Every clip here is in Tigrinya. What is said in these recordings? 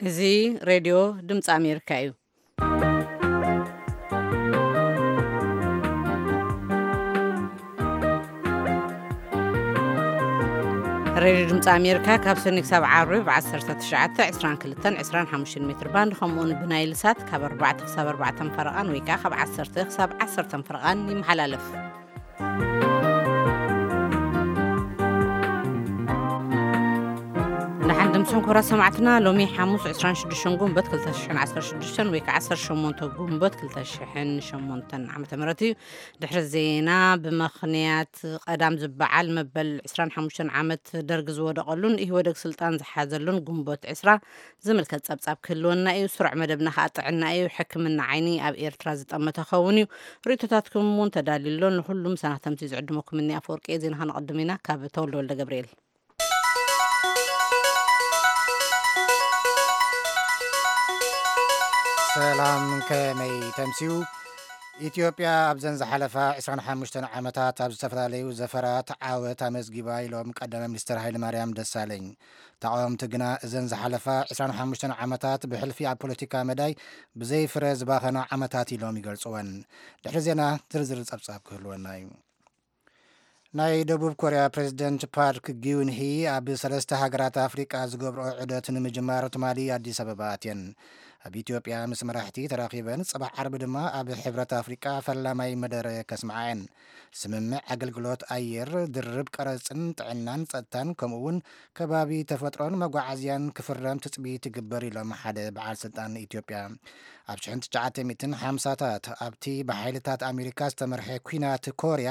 እዚ ሬድዮ ድምፂ ኣሜሪካ እዩ። ሬድዮ ድምፂ ኣሜሪካ ካብ ሰኒ ክሳብ ዓርቢ ብ ዓሰርተ ትሽዓተ፣ ዕስራን ክልተን፣ ዕስራን ሓሙሽተን ሜትር ባንድ፣ ከምኡውን ብናይል ሳት ካብ ኣርባዕተ ክሳብ ኣርባዕተ ፈረቓን ወይ ከዓ ካብ ዓሰርተ ክሳብ ዓሰርተ ፈረቓን ይመሓላለፍ። ንሓን ድምፅን ኩብራት ሰማዕትና፣ ሎሚ ሓሙስ ዕስራን ሽዱሽተን ጉንበት ክልተ ሽሕን ዓሰርተ ሽዱሽተን ወይ ከዓ ዓሰርተ ሸሞንተ ጉንበት ክልተ ሽሕን ሸሞንተን ዓመተ ምህረት እዩ። ድሕሪ ዜና፣ ብመኽንያት ቀዳም ዝበዓል መበል ዕስራን ሓሙሽተን ዓመት ደርግ ዝወደቐሉን ኢህወደግ ስልጣን ዝሓዘሉን ጉንበት ዕስራ ዝምልከት ጸብጻብ ክህልወና እዩ። ስሩዕ መደብና ከኣ ጥዕና እዩ። ሕክምና ዓይኒ ኣብ ኤርትራ ዝጠመተ ክኸውን እዩ። ርእይቶታትኩም እውን ተዳልዩ ኣሎ። ንኹሉም ሰናተምቲ ዝዕድመኩም እኒ ኣፈወርቂ እየ። ዜና ከነቐድም ኢና። ካብ ተወልደ ወልደ ገብርኤል። ሰላም፣ ከመይ ተምስዩ? ኢትዮጵያ ኣብዘን ዝሓለፋ ዕስራን ሓሙሽተን ዓመታት ኣብ ዝተፈላለዩ ዘፈራት ዓወት ኣመዝጊባ ኢሎም ቀዳማይ ሚኒስትር ሃይለማርያም ደሳለኝ። ተቓወምቲ ግና እዘን ዝሓለፋ ዕስራን ሓሙሽተን ዓመታት ብሕልፊ ኣብ ፖለቲካ መዳይ ብዘይ ፍረ ዝባኸና ዓመታት ኢሎም ይገልጽወን። ድሕሪ ዜና ዝርዝር ጸብጻብ ክህልወና እዩ። ናይ ደቡብ ኮርያ ፕሬዝደንት ፓርክ ጊዩንሂ ኣብ ሰለስተ ሃገራት ኣፍሪቃ ዝገብርኦ ዑደት ንምጅማር ትማሊ ኣዲስ ኣበባ ኣትየን። ኣብ ኢትዮጵያ ምስ መራሕቲ ተራኺበን፣ ጽባሕ ዓርቢ ድማ ኣብ ሕብረት ኣፍሪቃ ፈላማይ መደረ ከስምዓ እየን። ስምምዕ ኣገልግሎት ኣየር፣ ድርብ ቀረጽን ጥዕናን ጸጥታን፣ ከምኡ እውን ከባቢ ተፈጥሮን መጓዓዝያን ክፍረም ትጽቢት ይግበር ኢሎም ሓደ በዓል ስልጣን ኢትዮጵያ። ኣብ ሽሕን ትሽዓተ ሚእትን ሓምሳታት ኣብቲ ብሓይልታት ኣሜሪካ ዝተመርሐ ኲናት ኮርያ፣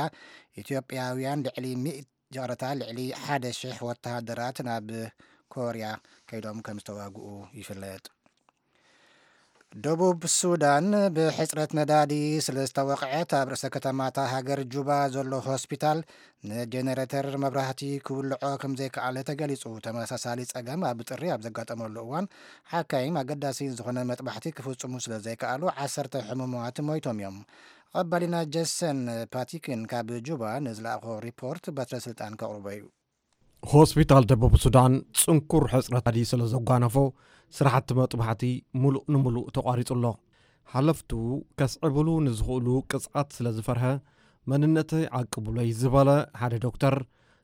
ኢትዮጵያውያን ልዕሊ ሚእቲ፣ ይቕረታ፣ ልዕሊ ሓደ ሽሕ ወተሃደራት ናብ ኮርያ ከይዶም ከም ዝተዋግኡ ይፍለጥ። ደቡብ ሱዳን ብሕጽረት ነዳዲ ስለ ዝተወቕዐት፣ ኣብ ርእሰ ከተማታ ሃገር ጁባ ዘሎ ሆስፒታል ንጀነሬተር መብራህቲ ክውልዖ ከም ዘይከኣለ ተገሊጹ። ተመሳሳሊ ጸገም ኣብ ጥሪ ኣብ ዘጋጠመሉ እዋን፣ ሓካይም ኣገዳሲ ዝኾነ መጥባሕቲ ክፍጽሙ ስለ ዘይከኣሉ፣ ዓሰርተ ሕሙማት ሞይቶም እዮም። ቀባሊና ጀሰን ፓቲክን ካብ ጁባ ንዝለኣኾ ሪፖርት በትረ ስልጣን ከቕርቦ እዩ። ሆስፒታል ደቡብ ሱዳን ጽንኩር ሕጽረት ነዳዲ ስለ ዘጓነፎ፣ ስራሕቲ መጥባሕቲ ምሉእ ንምሉእ ተቋሪጹ ኣሎ። ሓለፍቱ ከስዕብሉ ንዝኽእሉ ቅጽዓት ስለ ዝፈርሀ፣ መንነተይ ዓቅቡለይ ዝበለ ሓደ ዶክተር፣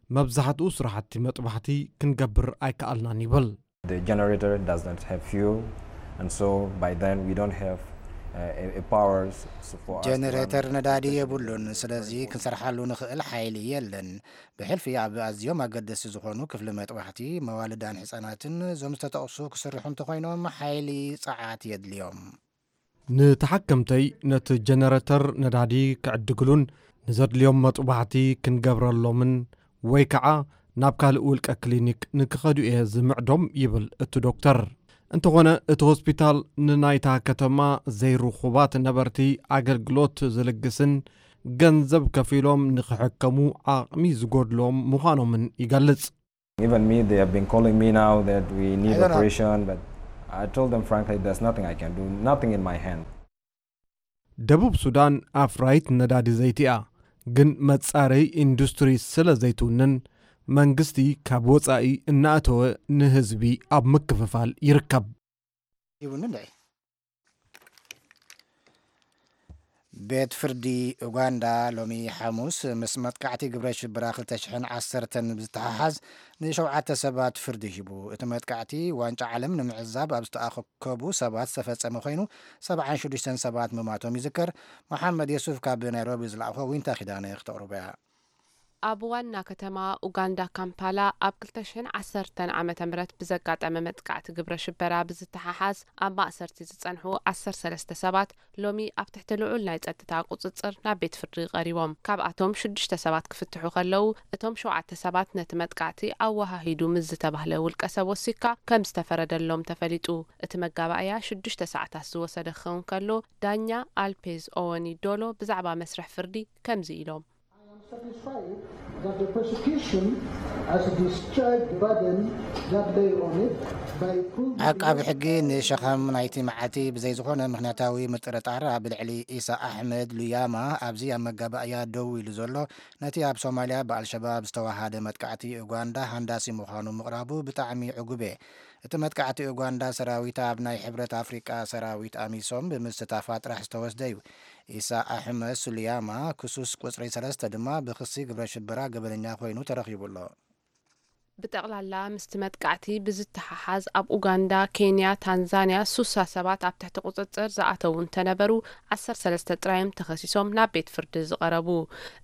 መብዛሕትኡ ስራሕቲ መጥባሕቲ ክንገብር ኣይከኣልናን ይብል። The generator does not have fuel, and so by then we don't have, uh, a, a power s-, for us to run ጀነሬተር ነዳዲ the የብሉን፣ special ስለዚ reporting. ክንሰርሓሉ ንኽእል ሓይሊ የለን። ብሕልፊ ኣብ ኣዝዮም ኣገደስቲ ዝኾኑ ክፍሊ መጥባሕቲ፣ መዋልዳን ህጻናትን፣ እዞም ዝተጠቕሱ ክስርሑ እንተኾይኖም ሓይሊ ጸዓት የድልዮም። ንተሓከምተይ ነቲ ጀነረተር ነዳዲ ክዕድግሉን ንዘድልዮም መጥባሕቲ ክንገብረሎምን ወይ ከዓ ናብ ካልእ ውልቀ ክሊኒክ ንክኸዱ እየ ዝምዕዶም ይብል እቲ ዶክተር። እንተኾነ እቲ ሆስፒታል ንናይታ ከተማ ዘይርኹባት ነበርቲ ኣገልግሎት ዝልግስን ገንዘብ ከፊሎም ንክሕከሙ ዓቕሚ ዝጎድሎም ምዃኖምን ይገልጽ። Even me, they have been calling me now that we need I don't know. operation, but I told them frankly, there's nothing I can do, nothing in my hand. ደቡብ ሱዳን ኣፍራይት ነዳዲ ዘይቲ እያ፣ ግን መጻረይ ኢንዱስትሪ ስለ ዘይትውንን መንግስቲ ካብ ወጻኢ እናእተወ ንህዝቢ ኣብ ምክፍፋል ይርከብ። ይብሉ እንድዒ። ቤት ፍርዲ ኡጋንዳ ሎሚ ሓሙስ ምስ መጥቃዕቲ ግብረ ሽበራ ክልተ ሽሕን ዓሰርተን ብዝተሓሓዝ ንሸውዓተ ሰባት ፍርዲ ሂቡ። እቲ መጥቃዕቲ ዋንጫ ዓለም ንምዕዛብ ኣብ ዝተኣከቡ ሰባት ዝተፈጸመ ኮይኑ፣ ሰብዓን ሽዱሽተን ሰባት ምማቶም ይዝከር። መሓመድ የሱፍ ካብ ናይሮቢ ዝለኣኾ ዊንታ ኪዳነ ክተቕርቦ እያ። ኣብ ዋና ከተማ ኡጋንዳ ካምፓላ ኣብ ክልተ ሽሕን ዓሰርተን ዓመተ ምህረት ብዘጋጠመ መጥቃዕቲ ግብረ ሽበራ ብዝተሓሓዝ ኣብ ማእሰርቲ ዝጸንሑ ዓሰርተ ሰለስተ ሰባት ሎሚ ኣብ ትሕቲ ልዑል ናይ ጸጥታ ቁጽጽር ናብ ቤት ፍርዲ ቀሪቦም። ካብኣቶም ሽዱሽተ ሰባት ክፍትሑ ከለዉ፣ እቶም ሸውዓተ ሰባት ነቲ መጥቃዕቲ ኣወሃሂዱ ምስ ዝተባህለ ውልቀ ሰብ ወሲካ ከም ዝተፈረደሎም ተፈሊጡ። እቲ መጋባእያ ሽዱሽተ ሰዓታት ዝወሰደ ክኸውን ከሎ፣ ዳኛ ኣልፔዝ ኦወኒ ዶሎ ብዛዕባ መስርሕ ፍርዲ ከምዚ ኢሎም። I am satisfied that the prosecution has discharged the burden that lay on it by proving ዓቃቢ ሕጊ ንሸኸም ናይቲ መዓልቲ ብዘይ ዝኾነ ምኽንያታዊ ምጥርጣር ኣብ ልዕሊ ኢሳ ኣሕመድ ሉያማ ኣብዚ ኣብ መጋባእያ ደው ኢሉ ዘሎ ነቲ ኣብ ሶማልያ ብኣልሸባብ ዝተዋሃደ መጥቃዕቲ ኡጋንዳ ሃንዳሲ ምዃኑ ምቕራቡ ብጣዕሚ ዕጉብ እየ። እቲ መጥቃዕቲ ኡጋንዳ ሰራዊት ኣብ ናይ ሕብረት ኣፍሪቃ ሰራዊት ኣሚሶም ብምስታፋ ጥራሕ ዝተወስደ እዩ። ኢሳ ኣሕመድ ሱልያማ ክሱስ ቁጽሪ ሰለስተ ድማ ብክሲ ግብረ ሽበራ ገበነኛ ኮይኑ ተረኺቡ ኣሎ። ብጠቕላላ ምስቲ መጥቃዕቲ ብዝተሓሓዝ ኣብ ኡጋንዳ፣ ኬንያ፣ ታንዛንያ ሱሳ ሰባት ኣብ ትሕቲ ቁጽጽር ዝኣተዉ እንተነበሩ ዓሰርተ ሰለስተ ጥራዮም ተኸሲሶም ናብ ቤት ፍርዲ ዝቐረቡ።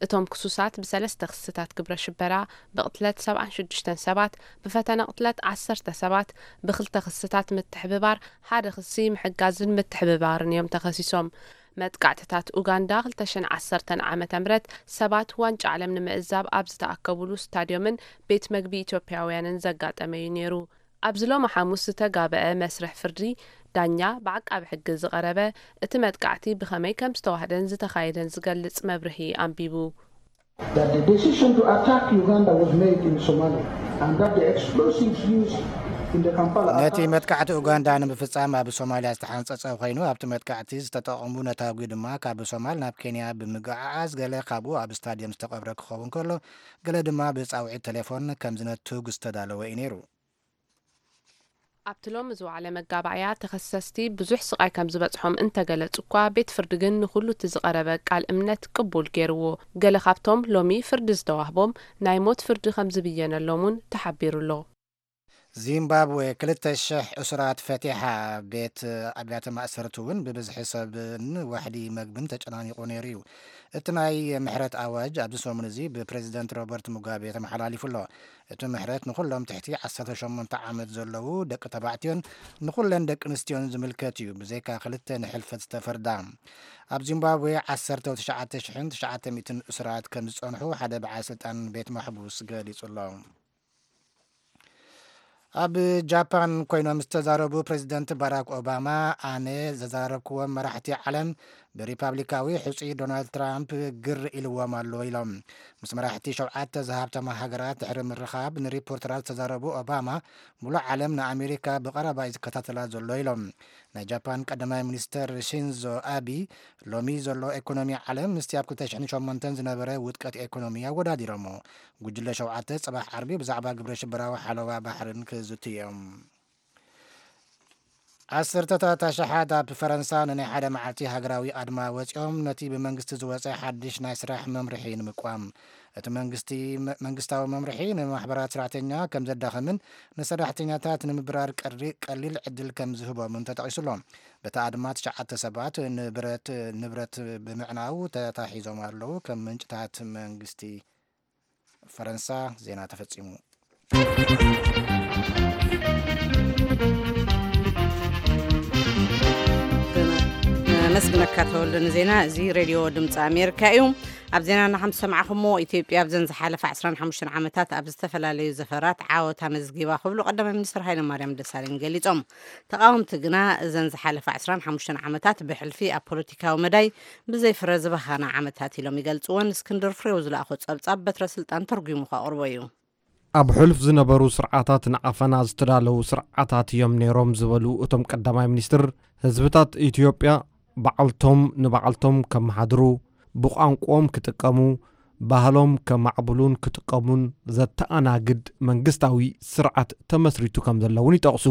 እቶም ክሱሳት ብሰለስተ ክስታት ግብረ ሽበራ፣ ብቕትለት ሰብዓን ሽዱሽተን ሰባት፣ ብፈተነ ቅትለት ዓሰርተ ሰባት፣ ብክልተ ክስታት ምትሕብባር፣ ሓደ ክሲ ምሕጋዝን ምትሕብባርን እዮም ተኸሲሶም። መጥቃዕትታት ኡጋንዳ ክልተ ሽሕን ዓሰርተን ዓመተ ምህረት ሰባት ዋንጫ ዓለም ንምዕዛብ ኣብ ዝተኣከቡሉ ስታድዮምን ቤት መግቢ ኢትዮጵያውያንን ዘጋጠመ እዩ ነይሩ። ኣብዚ ሎሚ ሓሙስ ዝተጋበአ መስርሕ ፍርዲ ዳኛ ብዓቃቢ ሕጊ ዝቐረበ እቲ መጥቃዕቲ ብኸመይ ከም ዝተዋህደን ዝተኻየደን ዝገልጽ መብርሂ ኣንቢቡ። That the decision to attack Uganda was made in Somalia and that the explosives used in the Kampala ነቲ attack መጥቃዕቲ ኡጋንዳ ንምፍጻም ኣብ ሶማልያ ዝተሓንጸጸ ኮይኑ ኣብቲ መጥቃዕቲ ዝተጠቐሙ ነታጒ ድማ ካብ ሶማል ናብ ኬንያ ብምግዕዓዝ ገለ ካብኡ ኣብ ስታድየም ዝተቐብረ ክኸውን ከሎ ገለ ድማ ብጻውዒት ቴሌፎን ከም ዝነትጉ ዝተዳለወ እዩ ነይሩ። ኣብቲ ሎሚ ዝወዓለ መጋባእያ ተኸሰስቲ ብዙሕ ስቓይ ከም ዝበጽሖም እንተገለጹ እኳ ቤት ፍርዲ ግን ንኹሉ እቲ ዝቐረበ ቃል እምነት ቅቡል ገይርዎ። ገለ ካብቶም ሎሚ ፍርዲ ዝተዋህቦም ናይ ሞት ፍርዲ ከም ዝብየነሎም እውን ተሓቢሩ ኣሎ። ዚምባብዌ ክልተ ሽሕ እሱራት ፈቲሓ። ቤት ኣብያተ ማእሰርቲ እውን ብብዝሒ ሰብን ዋሕዲ መግብን ተጨናኒቑ ነይሩ እዩ። እቲ ናይ ምሕረት ኣዋጅ ኣብዚ ሰሙን እዚ ብፕሬዚደንት ሮበርት ሙጋቤ ተመሓላሊፉ ኣሎ። እቲ ምሕረት ንኹሎም ትሕቲ ዓሰርተ ሸሞንተ ዓመት ዘለዉ ደቂ ተባዕትዮን ንኹለን ደቂ ኣንስትዮን ዝምልከት እዩ፣ ብዘይካ ክልተ ንሕልፈት ዝተፈርዳ። ኣብ ዚምባብዌ ዓሰርተ ትሽዓተ ሽሕን ትሽዓተ ሚእትን እሱራት ከም ዝጸንሑ ሓደ በዓል ስልጣን ቤት ማሕቡስ ገሊጹ ኣሎ። ኣብ ጃፓን ኮይኖም ዝተዛረቡ ፕሬዚደንት ባራክ ኦባማ፣ ኣነ ዘዛረብክዎም መራሕቲ ዓለም ብሪፓብሊካዊ ሕፁይ ዶናልድ ትራምፕ ግር ኢልዎም ኣሎ ኢሎም። ምስ መራሕቲ ሸውዓተ ዝሃብተማ ሃገራት ድሕሪ ምርኻብ ንሪፖርተራት ዝተዛረቡ ኦባማ፣ ሙሉእ ዓለም ንኣሜሪካ ብቐረባ እዩ ዝከታተላ ዘሎ ኢሎም። ናይ ጃፓን ቀዳማይ ሚኒስተር ሺንዞ ኣቢ፣ ሎሚ ዘሎ ኢኮኖሚ ዓለም ምስቲ ኣብ ክልተ ሽሕን ሸሞንተን ዝነበረ ውድቀት ኢኮኖሚ ኣወዳዲሮሞ። ጉጅለ ሸውዓተ ጽባሕ ዓርቢ ብዛዕባ ግብረ ሽበራዊ ሓለዋ ባሕርን ክዝትዮም። ዓሰርተታት ኣሽሓት ኣብ ፈረንሳ ንናይ ሓደ መዓልቲ ሃገራዊ ኣድማ ወጺኦም ነቲ ብመንግስቲ ዝወጸ ሓድሽ ናይ ስራሕ መምርሒ ንምቋም። እቲ መንግስቲ መንግስታዊ መምርሒ ንማሕበራት ስራሕተኛ ከም ዘዳኸምን ንሰራሕተኛታት ንምብራር ቀሊል ዕድል ከም ዝህቦምን ተጠቒሱሎ። በቲ ኣድማ ትሽዓተ ሰባት ንብረት ንብረት ብምዕናው ተታሒዞም ኣለዉ። ከም ምንጭታት መንግስቲ ፈረንሳ ዜና ተፈጺሙ። መስግነካ ተወልደ ንዜና። እዚ ሬድዮ ድምፂ ኣሜሪካ እዩ። ኣብ ዜናና ከም ዝሰማዕኹሞ ኢትዮጵያ ኣብዘን ዝሓለፈ ዓስራን ሓሙሽተን ዓመታት ኣብ ዝተፈላለዩ ዘፈራት ዓወት ኣመዝጊባ ክብሉ ቀዳማይ ሚኒስትር ሃይለማርያም ደሳለኝ ገሊጾም። ተቓወምቲ ግና እዘን ዝሓለፈ ዓስራን ሓሙሽተን ዓመታት ብሕልፊ ኣብ ፖለቲካዊ መዳይ ብዘይ ፍረ ዝባኸና ዓመታት ኢሎም ይገልጽወን። እስክንድር ፍሬው ዝለኣኾ ጸብጻብ በትረ ስልጣን ተርጒሙ ከቕርቦ እዩ። ኣብ ሕሉፍ ዝነበሩ ስርዓታት ንዓፈና ዝተዳለዉ ስርዓታት እዮም ነይሮም ዝበሉ እቶም ቀዳማይ ሚኒስትር፣ ህዝብታት ኢትዮጵያ ባዕልቶም ንባዕልቶም ከመሓድሩ፣ ብቋንቋኦም ክጥቀሙ፣ ባህሎም ከማዕብሉን ክጥቀሙን ዘተኣናግድ መንግስታዊ ስርዓት ተመስሪቱ ከም ዘሎ እውን ይጠቕሱ።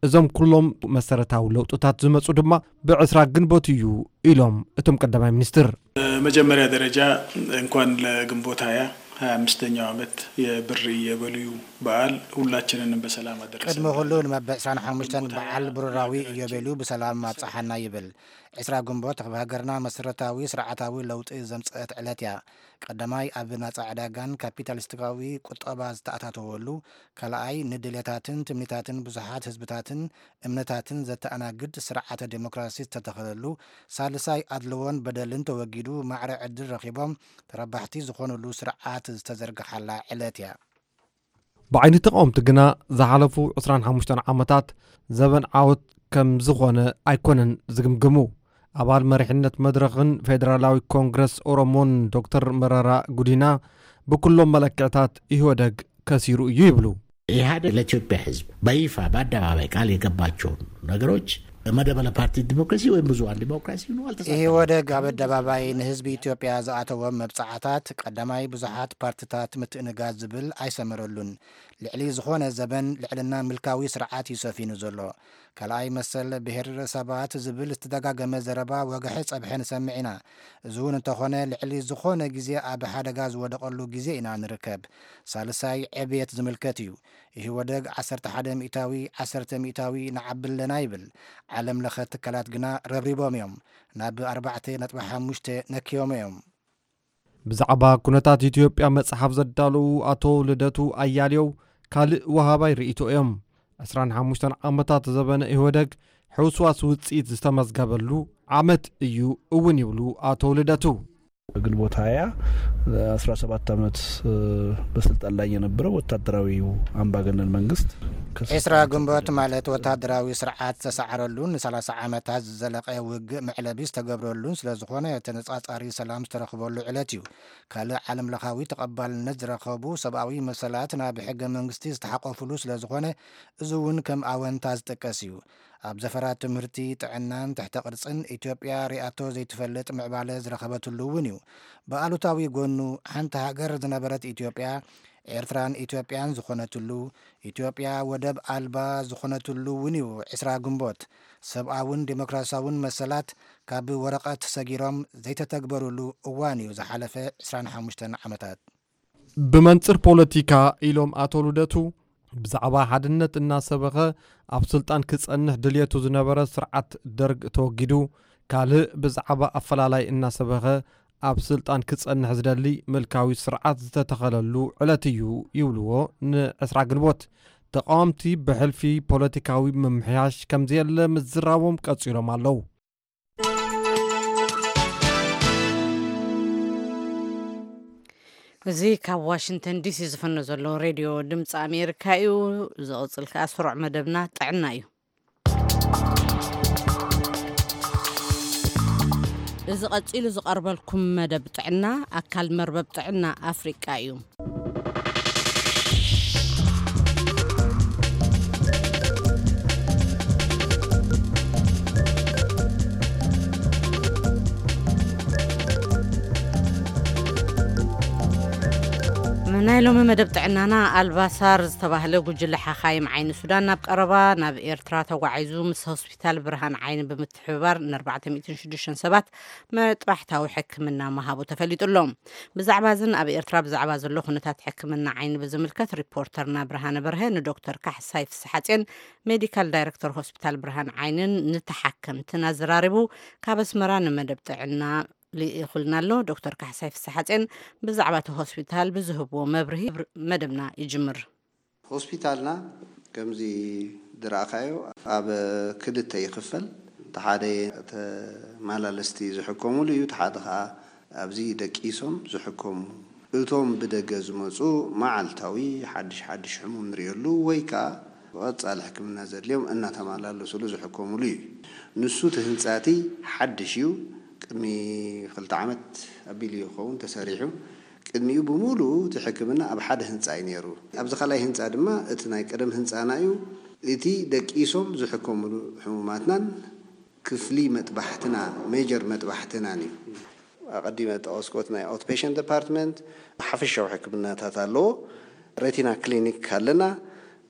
እዞም ኩሎም መሰረታዊ ለውጥታት ዝመፁ ድማ ብዕስራ ግንቦት እዩ ኢሎም እቶም ቀዳማይ ሚኒስትር። በመጀመሪያ ደረጃ እንኳን ለግንቦት ሃያ ሃያ አምስተኛው ዓመት የብር ኢዮቤልዩ በዓል ሁላችንንም በሰላም አደረሰን። ቅድሚ ኩሉ ንመበል ዕስራን ሓሙሽተን በዓል ብሩራዊ ኢዮቤልዩ ብሰላም ኣብፀሓና ይብል። ዕስራ ግንቦት ኣብ ሃገርና መሰረታዊ ስርዓታዊ ለውጢ ዘምፀአት ዕለት እያ። ቀዳማይ ኣብ ናፃ ዕዳጋን ካፒታሊስቲካዊ ቁጠባ ዝተኣታተወሉ፣ ካልኣይ ንድሌታትን ትምኒታትን ብዙሓት ህዝብታትን እምነታትን ዘተኣናግድ ስርዓተ ዴሞክራሲ ዝተተኸለሉ፣ ሳልሳይ ኣድልዎን በደልን ተወጊዱ ማዕረ ዕድል ረኺቦም ተረባሕቲ ዝኾኑሉ ስርዓት ዝተዘርግሓላ ዕለት እያ። ብዓይኒ ተቓወምቲ ግና ዝሓለፉ ዕስራን ሓሙሽተን ዓመታት ዘበን ዓወት ከም ዝኾነ ኣይኮነን ዝግምግሙ። ኣባል መሪሕነት መድረኽን ፌደራላዊ ኮንግረስ ኦሮሞን ዶክተር መረራ ጉዲና ብኩሎም መለክዕታት ኢህወደግ ከሲሩ እዩ ይብሉ። ኢህአዴግ ለኢትዮጵያ ህዝብ በይፋ በአደባባይ ቃል የገባቸውን ነገሮች መደበለ ፓርቲ ዲሞክራሲ ወይም ብዙሃን ዲሞክራሲ ይኑ ኣልተሳተፈ። ኢህወደግ ኣብ ኣደባባይ ንህዝቢ ኢትዮጵያ ዝኣተዎም መብጻዓታት ቀዳማይ ብዙሓት ፓርትታት ምትእንጋድ ዝብል ኣይሰመረሉን። ልዕሊ ዝኾነ ዘበን ልዕልና ምልካዊ ስርዓት እዩ ሰፊኑ ዘሎ። ካልኣይ መሰል ብሄር ሰባት ዝብል ዝተደጋገመ ዘረባ ወግሐ ጸብሐ ንሰምዕ ኢና። እዚ እውን እንተኾነ ልዕሊ ዝኾነ ግዜ ኣብ ሓደጋ ዝወደቐሉ ግዜ ኢና ንርከብ። ሳልሳይ ዕብየት ዝምልከት እዩ። ኢህወደግ ዓሰርተ ሓደ ሚእታዊ ዓሰርተ ሚእታዊ ንዓቢ ኣለና ይብል። ዓለም ለኸ ትካላት ግና ረብሪቦም እዮም። ናብ ኣርባዕተ ነጥቢ ሓሙሽተ ነክዮም እዮም። ብዛዕባ ኩነታት ኢትዮጵያ መጽሓፍ ዘዳለዉ ኣቶ ልደቱ ኣያሌው ካልእ ወሃባይ ርእይቶ እዮም። ዕስራን ሓሙሽተን ዓመታት ዘበነ ኢህወደግ ሕውስዋስ ውጽኢት ዝተመዝገበሉ ዓመት እዩ እውን ይብሉ ኣቶ ልደቱ። ግንቦት ሃያ አስራ ሰባት ዓመት በስልጣን ላይ የነበረው ወታደራዊው አምባገነን መንግስት ዕስራ ግንቦት ማለት ወታደራዊ ስርዓት ዝተሳዕረሉን ንሰላሳ ዓመታት ዝዘለቐ ውግእ መዕለቢ ዝተገብረሉን ስለዝኾነ ተነጻጻሪ ሰላም ዝተረኽበሉ ዕለት እዩ። ካልእ ዓለም ለኻዊ ተቐባልነት ዝረኸቡ ሰብኣዊ መሰላት ናብ ሕገ መንግስቲ ዝተሓቆፍሉ ስለዝኾነ እዚ እውን ከም ኣወንታ ዝጥቀስ እዩ። ኣብ ዘፈራት ትምህርቲ፣ ጥዕናን ትሕተ ቅርጽን ኢትዮጵያ ሪኣቶ ዘይትፈልጥ ምዕባለ ዝረኸበትሉ እውን እዩ። ብኣሉታዊ ጎኑ ሓንቲ ሃገር ዝነበረት ኢትዮጵያ ኤርትራን ኢትዮጵያን ዝኾነትሉ፣ ኢትዮጵያ ወደብ ኣልባ ዝኾነትሉ እውን እዩ። ዕስራ ግንቦት ሰብኣውን ዴሞክራሲያውን መሰላት ካብ ወረቐት ሰጊሮም ዘይተተግበሩሉ እዋን እዩ ዝሓለፈ ዕስራን ሓሙሽተን ዓመታት። ብመንጽር ፖለቲካ ኢሎም ኣቶ ልደቱ ብዛዕባ ሓድነት እናሰበኸ ኣብ ስልጣን ክጸንሕ ድልየቱ ዝነበረ ስርዓት ደርግ ተወጊዱ ካልእ ብዛዕባ ኣፈላላይ እናሰበኸ ኣብ ስልጣን ክጸንሕ ዝደሊ ምልካዊ ስርዓት ዝተተኸለሉ ዕለት እዩ ይብልዎ ንዕስራ ግንቦት። ተቃወምቲ ብሕልፊ ፖለቲካዊ ምምሕያሽ ከምዘየለ ምዝራቦም ቀጺሎም ኣለዉ። እዚ ካብ ዋሽንግተን ዲሲ ዝፍኖ ዘሎ ሬድዮ ድምፂ ኣሜሪካ እዩ። ዝቕፅል ከዓ ስሩዕ መደብና ጥዕና እዩ። እዚ ቀፂሉ ዝቐርበልኩም መደብ ጥዕና ኣካል መርበብ ጥዕና ኣፍሪቃ እዩ። ናይ ሎሚ መደብ ጥዕናና ኣልባሳር ዝተባህለ ጉጅለ ሓኻይም ዓይኒ ሱዳን ናብ ቀረባ ናብ ኤርትራ ተጓዒዙ ምስ ሆስፒታል ብርሃን ዓይኒ ብምትሕብባር ን ኣርባዕተ ሚእትን ሽዱሽተን ሰባት መጥባሕታዊ ሕክምና ምሃቡ ተፈሊጡ ኣሎ። ብዛዕባ እዝን ኣብ ኤርትራ ብዛዕባ ዘሎ ኩነታት ሕክምና ዓይኒ ብዝምልከት ሪፖርተርና ብርሃነ በርሀ ንዶክተር ካሕሳይ ፍስሓጼን ሜዲካል ዳይረክተር ሆስፒታል ብርሃን ዓይንን ንተሓከምትን ኣዘራሪቡ ካብ ኣስመራ ንመደብ ጥዕና ልኢኹልና ኣሎ። ዶክተር ካሕሳይ ፍስሓጼን ብዛዕባ እቲ ሆስፒታል ብዝህብዎ መብርሂ መደብና ይጅምር። ሆስፒታልና ከምዚ ዝረኣኻዮ ኣብ ክልተ ይኽፈል። እቲ ሓደ ተመላለስቲ ዝሕከሙሉ እዩ፣ እቲ ሓደ ኸዓ ኣብዚ ደቂሶም ዝሕከሙ። እቶም ብደገ ዝመፁ መዓልታዊ ሓድሽ ሓድሽ ሕሙም ንሪእሉ ወይ ከዓ ቀፃሊ ሕክምና ዘድልዮም እናተመላለስሉ ዝሕከሙሉ እዩ። ንሱ እቲ ህንፃ እቲ ሓድሽ እዩ። ቅድሚ ክልተ ዓመት ኣቢሉ ይኸውን ተሰሪሑ። ቅድሚኡ ብምሉኡ እቲ ሕክምና ኣብ ሓደ ህንፃ እዩ ነይሩ። ኣብዚ ካልኣይ ህንፃ ድማ እቲ ናይ ቀደም ህንፃና እዩ። እቲ ደቂሶም ዝሕከሙሉ ሕሙማትናን ክፍሊ መጥባሕትና፣ ሜጀር መጥባሕትናን እዩ። ኣቐዲመ ጠቐስኩዎ እቲ ናይ ኣውትፔሸንት ዲፓርትመንት ሓፈሻዊ ሕክምናታት ኣለዎ። ሬቲና ክሊኒክ ኣለና፣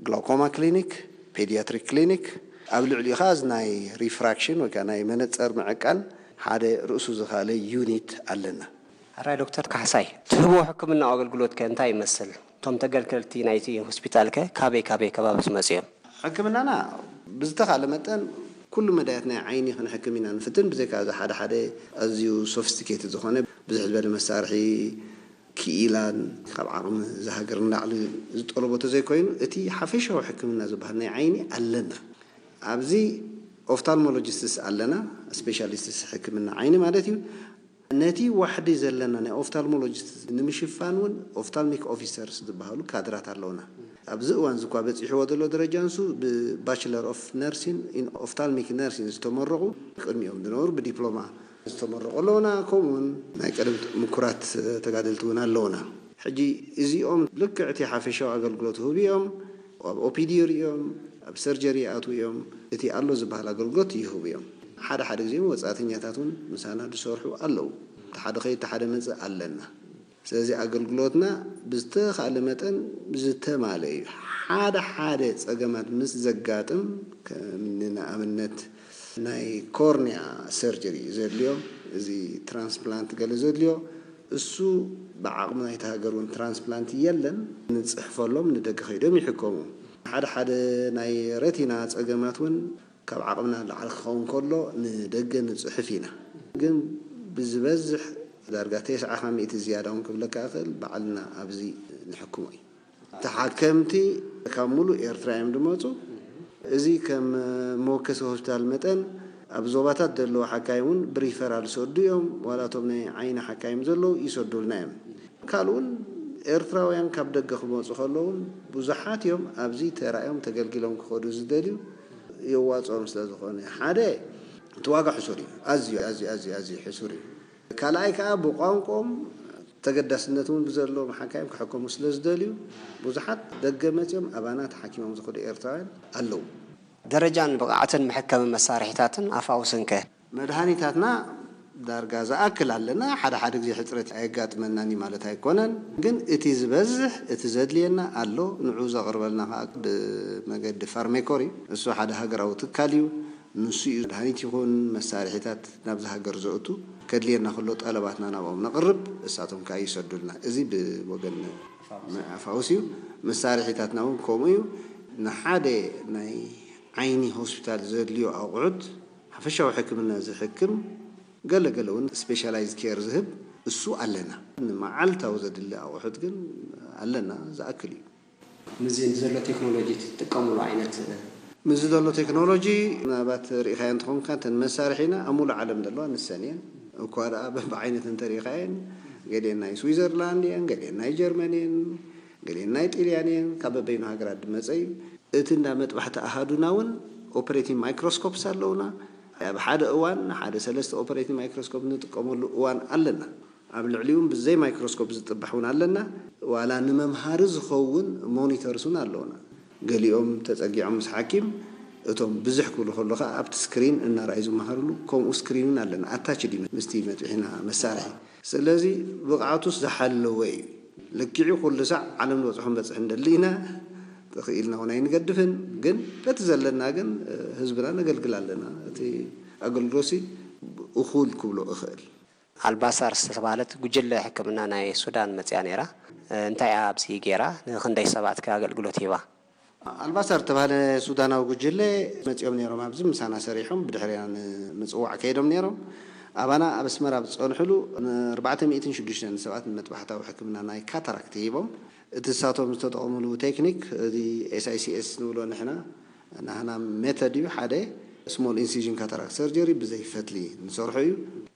ግላውኮማ ክሊኒክ፣ ፔዲያትሪክ ክሊኒክ፣ ኣብ ልዕሊኡ ኸዓ እዚ ናይ ሪፍራክሽን ወይ ከዓ ናይ መነፀር ምዕቃን ሓደ ርእሱ ዝኻለ ዩኒት ኣለና። ሕራይ ዶክተር ካሕሳይ፣ ትህብዎ ሕክምናዊ ኣገልግሎት ከ እንታይ ይመስል? እቶም ተገልገልቲ ናይቲ ሆስፒታል ከ ካበይ ካበይ ከባቢ ዝመፁ እዮም? ሕክምናና ብዝተኻለ መጠን ኩሉ መዳያት ናይ ዓይኒ ክንሕክም ኢና ንፍትን። ብዘይካ እዚ ሓደ ሓደ ኣዝዩ ሶፊስቲኬትድ ዝኾነ ብዝሕ ዝበለ መሳርሒ ክኢላን ካብ ዓቕሚ እዛ ሃገር ንላዕሊ ዝጠለቦ ተዘይኮይኑ እቲ ሓፈሻዊ ሕክምና ዝበሃል ናይ ዓይኒ ኣለና። ኣብዚ ኦፍታልሞሎጂስትስ ኣለና፣ ስፔሻሊስትስ ሕክምና ዓይኒ ማለት እዩ። ነቲ ዋሕዲ ዘለና ናይ ኦፍታልሞሎጂስት ንምሽፋን እውን ኦፍታልሚክ ኦፊሰርስ ዝበሃሉ ካድራት ኣለውና። ኣብዚ እዋን እዚ እኳ በፂሕዎ ዘሎ ደረጃ ንሱ ብባችለር ኦፍ ነርሲን ኢን ኦፍታልሚክ ነርሲን ዝተመረቑ ቅድሚኦም ዝነበሩ ብዲፕሎማ ዝተመረቑ ኣለውና። ከምኡውን ናይ ቀደም ምኩራት ተጋደልቲ እውን ኣለውና። ሕጂ እዚኦም ልክዕ እቲ ሓፈሻዊ ኣገልግሎት ህቡ እዮም። ኣብ ኦፒዲ ይርእዮም፣ ሰርጀሪ ይኣትዉ እዮም። እቲ ኣሎ ዝበሃል ኣገልግሎት ይህቡ እዮም። ሓደ ሓደ ግዜ ወጻእተኛታት እውን ምሳና ዝሰርሑ ኣለዉ። እቲ ሓደ ኸይድ እቲ ሓደ መጽእ ኣለና። ስለዚ ኣገልግሎትና ብዝተኻለ መጠን ዝተማለ እዩ። ሓደ ሓደ ጸገማት ምስ ዘጋጥም፣ ከም ንኣብነት ናይ ኮርኒያ ሰርጀሪ ዘድልዮ፣ እዚ ትራንስፕላንት ገለ ዘድልዮ፣ እሱ ብዓቕሚ ናይቲ ሃገር እውን ትራንስፕላንት የለን። ንጽሕፈሎም፣ ንደገ ከይዶም ይሕከሙ። ሓደ ሓደ ናይ ረቲና ጸገማት እውን ካብ ዓቕምና ላዕሊ ክኸውን ከሎ ንደገ ንጽሕፍ ኢና። ግን ብዝበዝሕ ዳርጋ ተስዓ ካብ ሚእቲ ዝያዳ እውን ክብለካ እኽእል፣ ባዕልና ኣብዚ ንሕክሞ እዩ። ተሓከምቲ ካብ ሙሉእ ኤርትራ እዮም ዝመጹ። እዚ ከም መወከሲ ሆስፒታል መጠን ኣብ ዞባታት ዘለዉ ሓካይም እውን ብሪፈራል ዝሰዱ እዮም። ዋላ እቶም ናይ ዓይኒ ሓካይም ዘለዉ ይሰዱልና እዮም። ካልእ እውን ኤርትራውያን ካብ ደገ ክመጹ ከለዉ እውን ብዙሓት እዮም ኣብዚ ተራእዮም ተገልጊሎም ክኸዱ ዝደልዩ። የዋጽኦም ስለ ዝኾነ ሓደ እቲ ዋጋ ሕሱር እዩ። ኣዝዩ፣ ኣዝዩ፣ ኣዝዩ፣ ኣዝዩ ሕሱር እዩ። ካልኣይ ከኣ ብቋንቋኦም ተገዳስነት እውን ብዘለዎም ሓካይም ክሕከሙ ስለ ዝደልዩ ብዙሓት ደገ መጺኦም ኣባና ተሓኪሞም ዝኸዱ ኤርትራውያን ኣለዉ። ደረጃን ብቕዓትን መሐከሚ መሳርሒታትን ኣፋውስን ከ? መድሃኒታትና ዳርጋ ዝኣክል ኣለና። ሓደ ሓደ ግዜ ሕጽረት ኣየጋጥመናን እዩ ማለት ኣይኮነን። ግን እቲ ዝበዝሕ፣ እቲ ዘድልየና ኣሎ። ንዑ ዘቕርበልና ከኣ ብመገዲ ፋርሜኮር እዩ። እሱ ሓደ ሃገራዊ ትካል እዩ። ንሱ እዩ መድሃኒት ይኹን መሳርሒታት ናብዚ ሃገር ዘእቱ። ከድልየና ከሎ ጠለባትና ናብኦም ነቕርብ፣ እሳቶም ከኣ ይሰዱልና። እዚ ብወገን ኣፋውስ እዩ። መሳርሒታትና እውን ከምኡ እዩ። ንሓደ ናይ ዓይኒ ሆስፒታል ዘድልዮ ኣቑሑት፣ ሓፈሻዊ ሕክምና ዝሕክም፣ ገለ ገለ እውን ስፔሻላይዝ ኬር ዝህብ እሱ ኣለና። ንመዓልታዊ ዘድሊ ኣቑሑት ግን ኣለና፣ ዝኣክል እዩ። ምስዚ ዘሎ ቴክኖሎጂ ትጥቀምሉ ዓይነት? ምስዚ ዘሎ ቴክኖሎጂ ምናልባት ርኢኻዮ እንትኾንካ፣ እተን መሳርሒና ኣብ ሙሉእ ዓለም ዘለዋ ንሰን እየን። እኳ ደኣ በብዓይነት እንተሪኢኻየን፣ ገሊአን ናይ ስዊዘርላንድ እየን፣ ገሊአን ናይ ጀርመን እየን፣ ገሊአን ናይ ጢልያን እየን። ካብ በበይኑ ሃገራት ዝመጸ እዩ። እቲ እንዳ መጥባሕቲ ኣሃዱና እውን ኦፐሬቲንግ ማይክሮስኮፕስ ኣለውና። ኣብ ሓደ እዋን ሓደ ሰለስተ ኦፐሬቲንግ ማይክሮስኮፕ ንጥቀመሉ እዋን ኣለና። ኣብ ልዕሊኡ እውን ብዘይ ማይክሮስኮፕ ዝጥባሕ እውን ኣለና። ዋላ ንመምሃሪ ዝኸውን ሞኒተርስ እውን ኣለውና። ገሊኦም ተጸጊዖም ምስ ሓኪም፣ እቶም ብዝሕ ክብሉ ከሎ ከኣ ኣብቲ ስክሪን እናረኣዩ ዝመሃርሉ፣ ከምኡ ስክሪን እውን ኣለና። ኣታችድ እዩ ምስቲ መጥቢሒና መሳርሒ። ስለዚ ብቕዓቱስ ዝሓለወ እዩ። ልክዑ ኩሉ ሳዕ ዓለም ዝበጽሖ ንበጽሕ እንደሊ ኢና። ተኽኢልና እውን ኣይንገድፍን፣ ግን በቲ ዘለና ግን ህዝብና ነገልግል ኣለና። እቲ ኣገልግሎትሲ እኹል ክብሎ እኽእል። ኣልባሳር ዝተባህለት ጉጅለ ሕክምና ናይ ሱዳን መጽያ ነይራ። እንታይ እያ ኣብዚ ገይራ? ንኽንደይ ሰባት ከ ኣገልግሎት ሂባ? ኣልባሳር ዝተባህለ ሱዳናዊ ጉጅለ መጺኦም ነይሮም። ኣብዚ ምሳና ሰሪሖም ብድሕሪና ንምጽዋዕ ከይዶም ነይሮም። ኣባና ኣብ ኣስመራ ኣብ ዝጸንሕሉ ን ኣርባዕተ ሚእትን ሽዱሽተን ሰባት ንመጥባሕታዊ ሕክምና ናይ ካታራክት ሂቦም። እቲ ንሳቶም ዝተጠቐምሉ ቴክኒክ፣ እዚ ኤስ ኣይ ሲ ኤስ ንብሎ ንሕና፣ ናህና ሜተድ እዩ። ሓደ ስሞል ኢንሲዥን ካታራክት ሰርጀሪ ብዘይ ፈትሊ ንሰርሖ እዩ።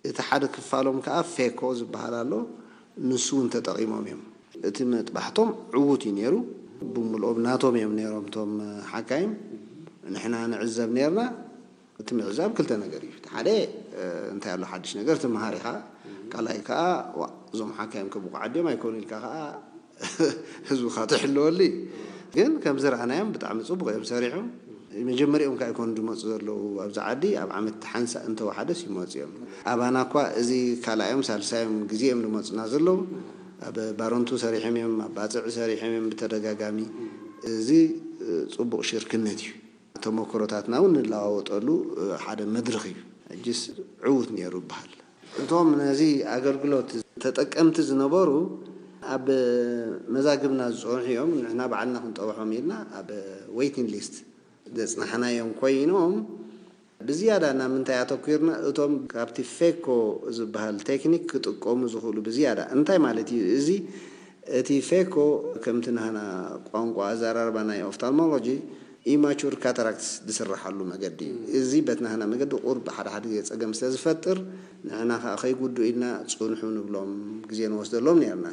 እቲ ሓደ ክፋሎም ከኣ ፌኮ ዝበሃል ኣሎ። ንሱ እውን ተጠቒሞም እዮም። እቲ መጥባሕቶም ዕዉት እዩ ነይሩ። ብምልኦም ናቶም እዮም ነይሮም እቶም ሓካይም። ንሕና ንዕዘብ ነይርና። እቲ ምዕዛብ ክልተ ነገር እዩ። እቲ ሓደ፣ እ፣ እንታይ ኣሎ ሓድሽ ነገር ትምሃር ኢኻ። ካልኣይ ከኣ፣ ዋ፣ እዞም ሓካይም ከ ብቑዓት ድዮም ኣይኮኑ ኢልካ ከኣ ህዝብኻ ትሕልወሉ እዩ። ግን ከም ዝረኣናዮም ብጣዕሚ ጽቡቕ እዮም ሰሪሖም። መጀመሪኦም ከኣ ኣይኮኑ ዝመጹ ዘለዉ ኣብዚ ዓዲ፣ ኣብ ዓመት ሓንሳእ እንተወሓደስ ይመጹ እዮም። ኣባና እኳ እዚ ካልኣዮም ሳልሳዮም ግዜ እዮም ዝመጹና ዘለዉ። ኣብ ባረንቱ ሰሪሖም እዮም፣ ኣብ ባጽዕ ሰሪሖም እዮም ብተደጋጋሚ። እዚ፣ እ፣ ጽቡቕ ሽርክነት እዩ። ተመክሮታትና እውን ንለዋወጠሉ ሓደ መድረኽ እዩ። ሕጅስ ዕዉት ነይሩ ይበሃል። እቶም ነዚ ኣገልግሎት ተጠቀምቲ ዝነበሩ ኣብ መዛግብና ዝጸንሑ እዮም። ንሕና ባዕልና ክንጠብሖም ኢልና ኣብ ዌይቲንግ ሊስት ዘጽናሕናዮም ኮይኖም፣ ብዝያዳ ናብ ምንታይ ኣተኲርና? እቶም ካብቲ ፌኮ ዝበሃል ቴክኒክ ክጥቀሙ ዝኽእሉ ብዝያዳ። እንታይ ማለት እዩ እዚ? እቲ ፌኮ ከምቲ ናህና ቋንቋ ኣዘራርባ ናይ ኦፍታልሞሎጂ ኢማቹር ካታራክትስ ዝስርሓሉ መገዲ እዩ። እዚ በቲ ናህና መገዲ ቁሩብ ሓደ ሓደ ግዜ ጸገም ስለ ዝፈጥር፣ ንሕና ከኣ ከይጉድኡ ኢልና ጽንሑ ንብሎም፣ ግዜ ንወስደሎም ነይርና።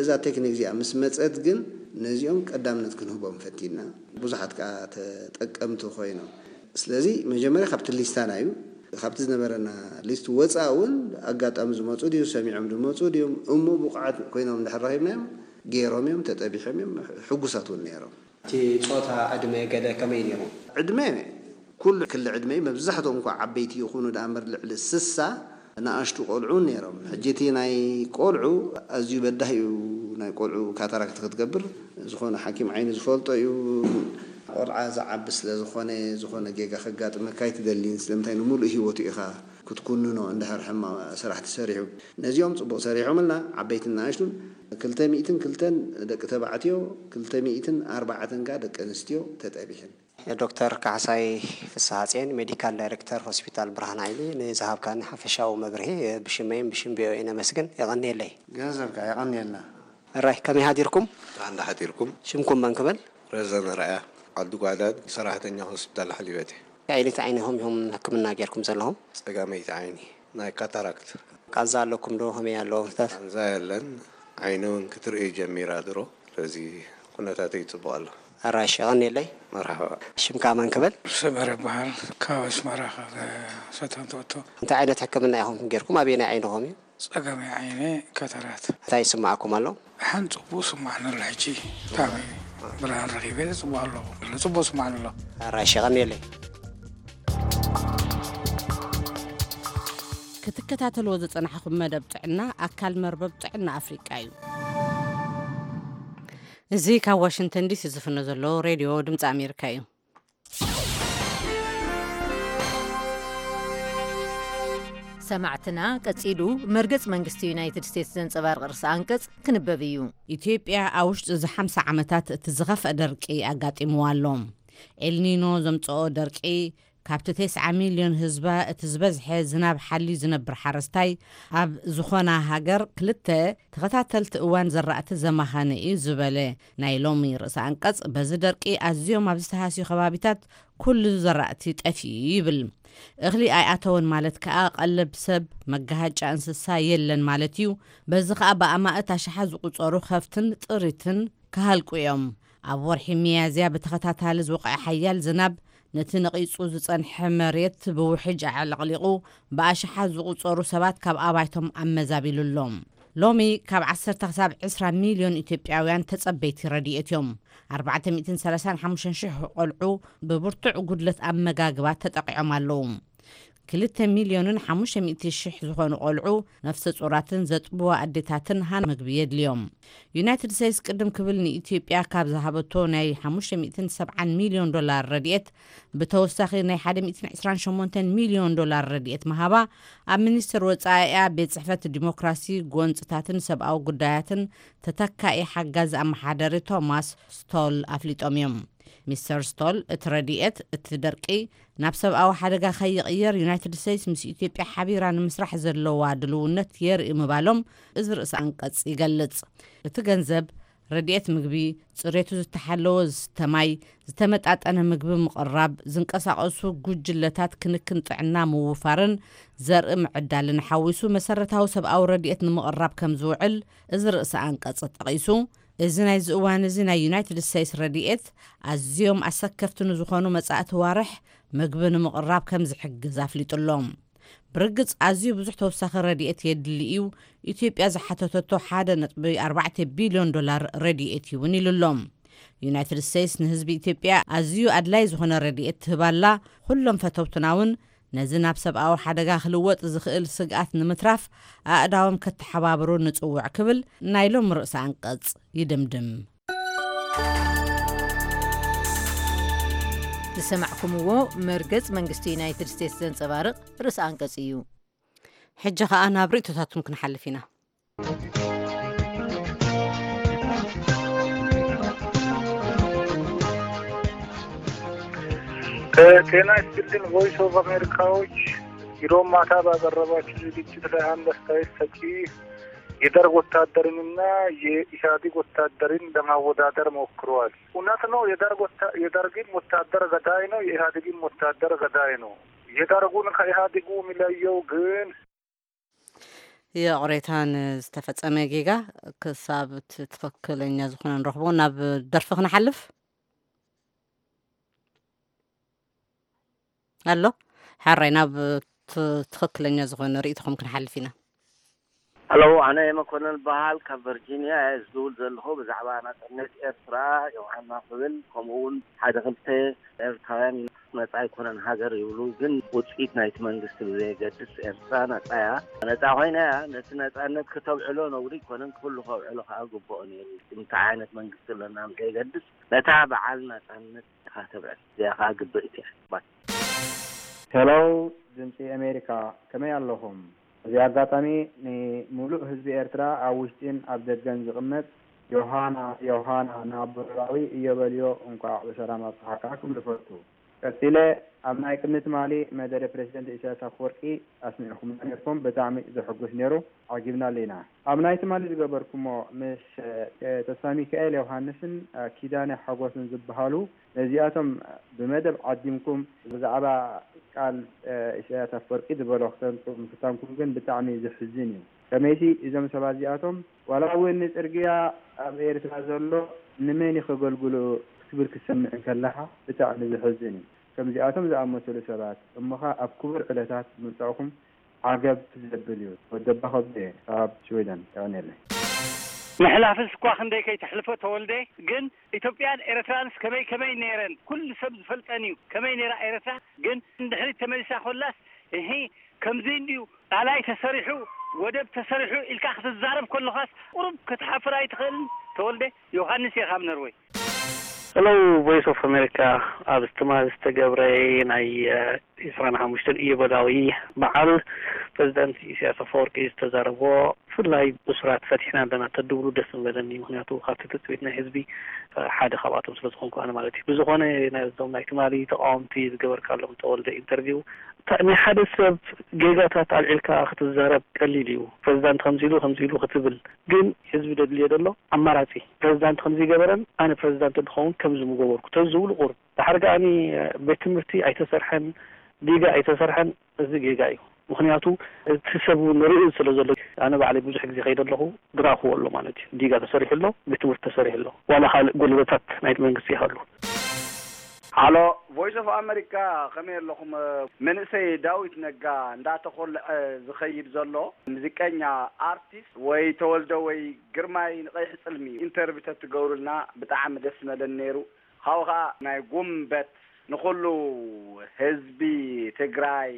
እዛ ቴክኒክ እዚኣ ምስ መጸት ግን ነዚኦም ቀዳምነት ክንህቦም ፈቲና። ብዙሓት ከኣ ተጠቀምቲ ኮይኖም። ስለዚ መጀመርያ ካብቲ ሊስታና እዩ። ካብቲ ዝነበረና ሊስት ወጻኢ እውን ኣጋጣሚ ዝመጹ ድዩ፣ ሰሚዖም ዝመጹ ድዮም፣ እሞ ብቑዓት ኮይኖም እንድሕር ረኺብናዮም፣ ገይሮም እዮም፣ ተጠቢሖም እዮም፣ ሕጉሳት እውን ነይሮም። እቲ ጾታ፣ ዕድመ ገለ ከመይ ነይሩ? ዕድመ፣ ኩሉ ክሊ ዕድመ እዩ። መብዛሕትኦም እኳ ዓበይቲ ይኹኑ ደኣ እምበር፣ ልዕሊ ስሳ ንኣሽቱ ቆልዑ ነይሮም። ሕጂ እቲ ናይ ቆልዑ ኣዝዩ በዳሂ እዩ። ናይ ቆልዑ ካታራክት ክትገብር፣ ዝኾነ ሓኪም ዓይኒ ዝፈልጦ እዩ። ቆልዓ ዝዓቢ ስለ ዝኾነ፣ ዝኾነ ጌጋ ከጋጥመካ ኣይትደልን። ስለምንታይ? ንምሉእ ህይወቱ ኢኻ ክትኩንኖ፣ እንድሕር ሕማቕ ስራሕ ተሰሪሑ። ነዚኦም ጽቡቕ ሰሪሖምልና፣ ዓበይትን ንኣሽቱን። ክልተ ሚእትን ክልተን ደቂ ተባዕትዮ፣ ክልተ ሚእትን ኣርባዕተን ከኣ ደቂ ኣንስትዮ ተጠቢሐን። ዶክተር ካሕሳይ ፍስሃጽዮን፣ ሜዲካል ዳይሬክተር ሆስፒታል ብርሃን ሓይሊ፣ ንዝሃብካኒ ሓፈሻዊ መብርሂ ብሽመይን ብሽም ቪኦኤ ነመስግን። የቐንየለይ። ገንዘብካ የቐንየልና። እራይ፣ ከመይ ሃዲርኩም? ደሓን ዶ ሓዲርኩም? ሽምኩም መን ክብል? ረዘነ ረኣያ፣ ዓዲ ጓዕዳድ፣ ሰራሕተኛ ሆስፒታል ሓሊበት እየ። እንታይ ዓይነት ዓይንኹም ኢኹም ሕክምና ጌርኩም ዘለኹም? ጸጋመይቲ ዓይኒ፣ ናይ ካታራክት። ቃንዛ ኣለኩም ዶ? ከመይ ኣሎ ኩነታት? ቃንዛ የለን። ዓይኒ እውን ክትርኢ ጀሚራ ድሮ። ስለዚ ኩነታተይ ጽቡቕ ኣሎ። ኣራሽ፣ የቐንየለይ። መርሓባ። ሽምካ መን ክብል? ሰመረ ይበሃል። ካብ ኣስመራ፣ ካብ ሰተን ትእቶ። እንታይ ዓይነት ሕክምና ኢኹም ጌርኩም? ኣበየናይ ዓይንኹም እዩ? ጸጋማይ ዓይነ ካታራት። እንታይ ይስምዓኩም ኣሎ? ሓን ጽቡቕ ስማዕኒ ኣሎ። ሕጂ ታሚ ብርሃን ረኺበ፣ ጽቡቕ ኣሎ። ጽቡቕ ስማዕኒ ኣሎ። ኣራሽ፣ የቐንየለይ። ክትከታተልዎ ዝጸናሕኹም መደብ ጥዕና ኣካል መርበብ ጥዕና ኣፍሪቃ እዩ። እዚ ካብ ዋሽንግተን ዲሲ ዝፍኖ ዘሎ ሬድዮ ድምፂ ኣሜሪካ እዩ። ሰማዕትና፣ ቀጺሉ መርገጽ መንግስቲ ዩናይትድ ስቴትስ ዘንጸባርቕ ርእሰ ኣንቀጽ ክንበብ እዩ። ኢትዮጵያ ኣብ ውሽጢ እዚ ሓምሳ ዓመታት እቲ ዝኸፍአ ደርቂ ኣጋጢምዋ ኣሎ። ኤልኒኖ ዘምጽኦ ደርቂ ካብቲ ተስዓ ሚልዮን ህዝባ እቲ ዝበዝሐ ዝናብ ሓልዩ ዝነብር ሓረስታይ ኣብ ዝኾና ሃገር ክልተ ተኸታተልቲ እዋን ዘራእቲ ዘማኸነ እዩ ዝበለ ናይ ሎሚ ርእሰ ኣንቀጽ፣ በዚ ደርቂ ኣዝዮም ኣብ ዝተሃስዩ ከባቢታት ኩሉ ዘራእቲ ጠፊኡ ይብል። እኽሊ ኣይኣተወን ማለት ከኣ ቀለብ ሰብ፣ መጋሃጫ እንስሳ የለን ማለት እዩ። በዚ ከኣ ብኣማእት ኣሽሓት ዝቑጸሩ ከፍትን ጥሪትን ክሃልቁ እዮም። ኣብ ወርሒ ሚያዝያ ብተኸታታሊ ዝወቕዐ ሓያል ዝናብ ነቲ ነቒጹ ዝጸንሐ መሬት ብውሕጅ ኣዕለቕሊቑ ብኣሽሓት ዝቑጸሩ ሰባት ካብ ኣባይቶም ኣመዛቢሉ ኣሎ። ሎሚ ካብ ዓሰርተ ክሳብ ዕስራ ሚልዮን ኢትዮጵያውያን ተጸበይቲ ረድኤት እዮም። ኣርባዕተ ሚእትን ሰላሳን ሓሙሽተን ሽሕ ቆልዑ ብብርቱዕ ጉድለት ኣመጋግባ ተጠቒዖም ኣለዉ። ክልተ ሚልዮንን ሓሙሽተ ሚእቲ ሽሕ ዝኾኑ ቆልዑ፣ ነፍሰ ጹራትን ዘጥብዋ ኣዴታትን ሃን ምግቢ የድልዮም። ዩናይትድ ስቴትስ ቅድም ክብል ንኢትዮጵያ ካብ ዝሃበቶ ናይ ሓሙሽተ ሚእትን ሰብዓን ሚልዮን ዶላር ረድኤት ብተወሳኺ ናይ ሓደ ሚእትን ዕስራን ሸሞንተን ሚልዮን ዶላር ረድኤት ምሃባ ኣብ ሚኒስቴር ወጻኢኣ ቤት ጽሕፈት ዲሞክራሲ፣ ጎንጽታትን ሰብኣዊ ጉዳያትን ተተካኢ ሓጋዚ ኣመሓዳሪ ቶማስ ስቶል ኣፍሊጦም እዮም። ሚስተር ስቶል፣ እቲ ረድኤት እቲ ደርቂ ናብ ሰብኣዊ ሓደጋ ከይቕየር ዩናይትድ ስቴትስ ምስ ኢትዮጵያ ሓቢራ ንምስራሕ ዘለዋ ድልውነት የርኢ ምባሎም እዚ ርእሰ ኣንቀጽ ይገልጽ። እቲ ገንዘብ ረድኤት ምግቢ፣ ጽሬቱ ዝተሓለወ ዝስተ ማይ፣ ዝተመጣጠነ ምግቢ ምቕራብ፣ ዝንቀሳቐሱ ጉጅለታት ክንክን ጥዕና ምውፋርን ዘርኢ ምዕዳልን ሓዊሱ መሰረታዊ ሰብኣዊ ረድኤት ንምቕራብ ከም ዝውዕል እዚ ርእሰ ኣንቀጽ ጠቒሱ፣ እዚ ናይዚ እዋን እዚ ናይ ዩናይትድ ስቴትስ ረድኤት ኣዝዮም ኣሰከፍቲ ንዝኾኑ መጻእቲ ዋርሕ ምግቢ ንምቕራብ ከም ዝሕግዝ ኣፍሊጡ ኣሎ። ብርግጽ ኣዝዩ ብዙሕ ተወሳኺ ረድኤት የድሊ እዩ። ኢትዮጵያ ዝሓተተቶ ሓደ ነጥቢ ኣርባዕተ ቢልዮን ዶላር ረድኤት እዩ እውን ኢሉ ኣሎ። ዩናይትድ ስቴትስ ንህዝቢ ኢትዮጵያ ኣዝዩ ኣድላይ ዝኾነ ረድኤት ትህብ ኣላ። ኩሎም ፈተውትና እውን ነዚ ናብ ሰብኣዊ ሓደጋ ክልወጥ ዝኽእል ስግኣት ንምትራፍ ኣእዳዎም ከተሓባብሩ ንጽውዕ ክብል ናይ ሎም ርእሰ ኣንቀጽ ይድምድም። ዝሰማዕኩምዎ መርገጽ መንግስቲ ዩናይትድ ስቴትስ ዘንጸባርቕ ርእሰ ኣንቀጽ እዩ። ሕጂ ኸኣ ናብ ርእይቶታትኩም ክንሓልፍ ኢና። ጤና ይስጥልኝ ቮይስ ኦፍ አሜሪካዎች፣ ሮብ ማታ ባቀረባችሁ ዝግጅት ላይ አንድ አስተያየት ሰጪ የደርግ ወታደርንና የኢህአዴግ ወታደርን ለማወዳደር ሞክረዋል። እውነት ነው፣ የደርግ ወታ-፣ የደርግም ወታደር ገዳይ ነው፣ የኢህአዴግም ወታደር ገዳይ ነው። የደርጉን ከኢህአዴጉ የሚለየው ግን የቕሬታ ንዝተፈጸመ ጌጋ ክሳብ እቲ ትኽክለኛ ዝኾነ ንረኽቦ። ናብ ደርፊ ክንሓልፍ ኣሎ። ሓራይ ናብ ት-፣ ትኽክለኛ ዝኾነ ርእይቶኹም ክንሓልፍ ኢና። ሄሎ፣ ኣነ መኮነን በሃል ካብ ቨርጂንያ እየ ዝድውል ዘለኹ። ብዛዕባ ናጽነት ኤርትራ ዮሃና ክብል፣ ከምኡ እውን ሓደ ክልተ ኤርትራውያን ነጻ ኣይኮነን ሃገር ይብሉ፣ ግን ውጽኢት ናይቲ መንግስቲ ብዘየገድስ ኤርትራ ነጻ እያ። ነጻ ኮይና እያ። ነቲ ነጻነት ክተብዕሎ ነውሪ ኣይኮነን፣ ኩሉ ከብዕሎ ከዓ ግብኦ ነይሩ። እንታይ ዓይነት መንግስቲ ኣለና ብዘየገድስ ነታ በዓል ናጻነት ኢኻ ተብዕል። እዚኣ ከዓ ግብእቲ እያ። ባይ። ሄሎ፣ ድምፂ ኣሜሪካ፣ ከመይ ኣለኹም? እዚ ኣጋጣሚ ንሙሉእ ህዝቢ ኤርትራ ኣብ ውሽጢን ኣብ ደገን ዝቕመጥ ዮሃና ዮሃና ንኣቦ ኖላዊ እዮበልዮ እንቋዕ ብሰላም ኣብጽሓካ ክብል እፈቱ። ቀጺለ ኣብ ናይ ቅድሚ ትማሊ መደረ ፕረሲደንት ኢሳያስ ኣፈወርቂ ኣስሚዕኩምና ኔርኩም ብጣዕሚ ዘሐጉስ ኔሩ። ዓጊብናሉ ኢና። ኣብ ናይ ትማሊ ዝገበርኩሞ ምስ ተስፋሚካኤል ዮውሃንስን ኪዳነ ሓጎስን ዝበሃሉ ነዚኣቶም ብመደብ ዓዲምኩም ብዛዕባ ቃል ኢሳያስ ኣፈወርቂ ዝበሎ ክተምጽኡ ምፍታንኩም ግን ብጣዕሚ ዘሕዝን እዩ። ከመይሲ እዞም ሰባት እዚኣቶም ዋላ እውን ንጽርግያ ኣብ ኤርትራ ዘሎ ንመን እዩ ከገልግሎ ክትብል ክትሰምዕ እንከለኻ ብጣዕሚ ዘሕዝን እዩ። ከምዚኣቶም ዝኣመሰሉ ሰባት እሞኻ ኣብ ክቡር ዕለታት ምምጻእኹም ዓገብ ዘብል እዩ። ወደባ ከብደ ካብ ሽወደን የቐንየለይ። ምሕላፍስ እኳ ክንደይ ከይተሕልፎ ተወልደ፣ ግን ኢትዮጵያን ኤርትራንስ ከመይ ከመይ ነይረን ኩሉ ሰብ ዝፈልጠን እዩ። ከመይ ነይራ ኤርትራ ግን ንድሕሪት ተመሊሳ ኮላስ እሂ ከምዚ እንድዩ ጣላይ ተሰሪሑ ወደብ ተሰሪሑ ኢልካ ክትዛረብ ከለኻስ ቁሩብ ክትሓፍር ኣይትኽእልን? ተወልደ ዮሃንስ እየ ካብ ነርወይ። Hello Voice of America ኣብ ትማሊ ዝተገብረ ናይ ዒስራን ሓሙሽተን ኢዮቤላዊ በዓል ፕረዚደንት ኢሳያስ ኣፈወርቂ ዝተዛረቦ ብፍላይ ብሱራት ፈቲሕና ኣለና ተድብሉ ደስ ምበለኒ። ምክንያቱ ካብቲ ትፅቢት ናይ ህዝቢ ሓደ ካብኣቶም ስለዝኮንኩ ኣነ ማለት እዩ። ብዝኮነ ናይዞም ናይ ትማሊ ተቃወምቲ ዝገበርካሎም ተወልደ ኢንተርቪው ናይ ሓደ ሰብ ጌጋታት ኣልዒልካ ክትዛረብ ቀሊል እዩ። ፕረዚዳንት ከምዚ ኢሉ ከምዚ ኢሉ ክትብል ግን ህዝቢ ደድልዮ ደሎ ኣማራፂ ፕረዚዳንት ከምዚ ገበረን ኣነ ፕረዚዳንት እንድኸውን ከምዚ ምገበርኩ ተዝብሉ ቁሩብ። ድሓር ከኣኒ ቤት ትምህርቲ ኣይተሰርሐን፣ ዲጋ ኣይተሰርሐን፣ እዚ ጌጋ እዩ። ምክንያቱ እቲ ሰብ እውን ርእዩ ስለ ዘሎ ኣነ ባዕለይ ብዙሕ ግዜ ከይደ ኣለኹ ድራኽዎ ኣሎ ማለት እዩ። ዲጋ ተሰሪሑ ኣሎ፣ ቤት ትምህርቲ ተሰሪሑ ኣሎ፣ ዋላ ካልእ ጎደሎታት ናይ መንግስቲ ይሃሉ። ሃሎ ቮይስ ኦፍ ኣመሪካ ከመይ ኣለኹም? መንእሰይ ዳዊት ነጋ እንዳተኾልዐ ዝኸይድ ዘሎ ሙዚቀኛ ኣርቲስት ወይ ተወልደ ወይ ግርማይ ንቀይሕ ፅልሚ ኢንተርቪው ተትገብሩልና ብጣዕሚ ደስ መለን ነይሩ። ካብኡ ከዓ ናይ ጉንበት ንኩሉ ህዝቢ ትግራይ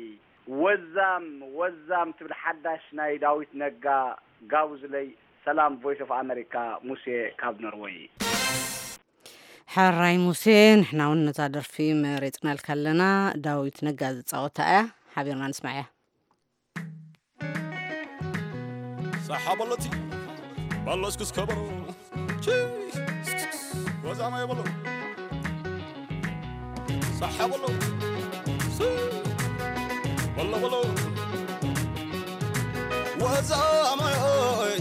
ወዛም ወዛም ትብል ሓዳሽ ናይ ዳዊት ነጋ ጋብዙለይ። ሰላም ቮይስ ኦፍ ኣመሪካ ሙሴ ካብ ኖርወይ። ሕራይ ሙሴ፣ ንሕና እውን ነዛ ደርፊ መሪፅናልካ ኣለና። ዳዊት ነጋ ዝፃወታ እያ፣ ሓቢርና ንስማዕያ። ሳሓ በሎ እቲ በሎ እስክስ ከበሮ ወዛማ የበሎ ሳሓ በሎ በሎ በሎ ወዛማ ኦይ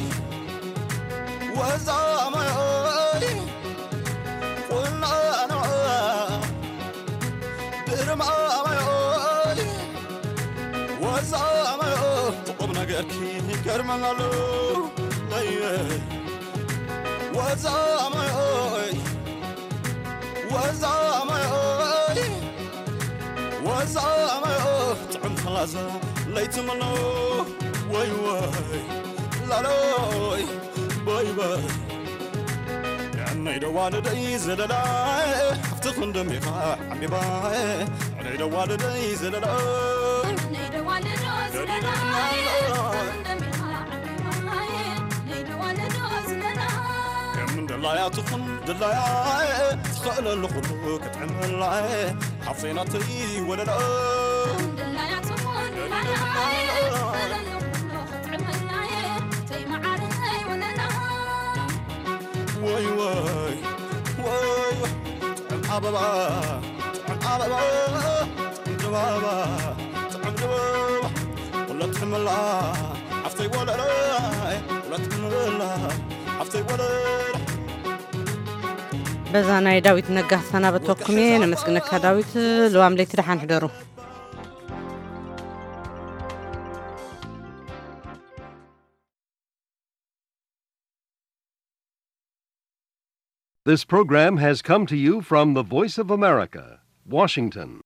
ወዛማ ኦይ ቁናኖ ድርማማ ኦይ ወዛማ ኦይ ቁም ነገርኪ ይገርመናል። ወዛማ ኦይ ወዛማ ኦይ ወዛ ማዮ ጥዕም ኸላዛ ለይቲ መኖ ወይ ወይ ላሎይ ወይ ወይ ያነይ ደዋልደይ ዘለላ ሓፍቲ ክንደሚኻ ዓቢባ ነይ ደዋልደይ ዘለላ ከም እንደላያ ትኹን ድላያ ትኽእለሉ ኩሉ ክትዕመላ ሓፍተይ ናተይ ወለላ ወይ ወይ ወይ ጥዕም ኣበባ ጥዕም ኣበባ ጥዕም ድባባ ጥዕም ድባባ ወላ ትሕመላ ሓፍተይ ወለላ ወላ ትሕመላ ሓፍተይ ወለላ በዛ ናይ ዳዊት ነጋ ክሰናበተኩም እየ። ነመስግነካ ዳዊት። ልዋም ለይቲ ደሓን ሕደሩ። This program has come to you from the Voice of America, Washington.